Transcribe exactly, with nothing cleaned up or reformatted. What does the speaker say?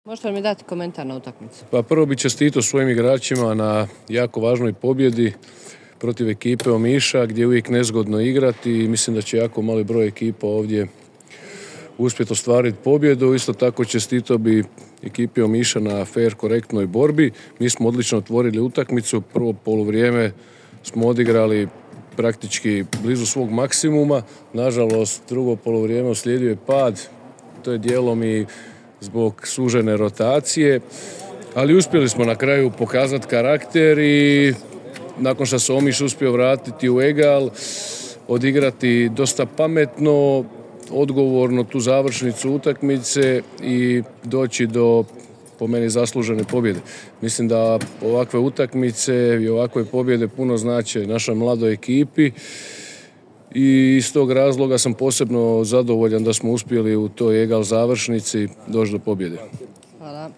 Možete li mi dati komentar na utakmicu? Pa prvo bi čestitao svojim igračima na jako važnoj pobjedi protiv ekipe Omiša gdje je uvijek nezgodno igrati i mislim da će jako mali broj ekipa ovdje uspjeti ostvariti pobjedu. Isto tako čestitao bi ekipi Omiša na fair, korektnoj borbi. Mi smo odlično otvorili utakmicu. Prvo poluvrijeme smo odigrali praktički blizu svog maksimuma. Nažalost, drugo poluvrijeme uslijedio je pad. To je dijelom i zbog sužene rotacije. Ali uspjeli smo na kraju pokazati karakter i nakon što se Omiš uspio vratiti u egal, odigrati dosta pametno, odgovorno tu završnicu utakmice i doći do, po meni, zaslužene pobjede. Mislim da ovakve utakmice i ovakve pobjede puno znače našoj mladoj ekipi i iz tog razloga sam posebno zadovoljan da smo uspjeli u toj egal završnici doći do pobjede. Hvala.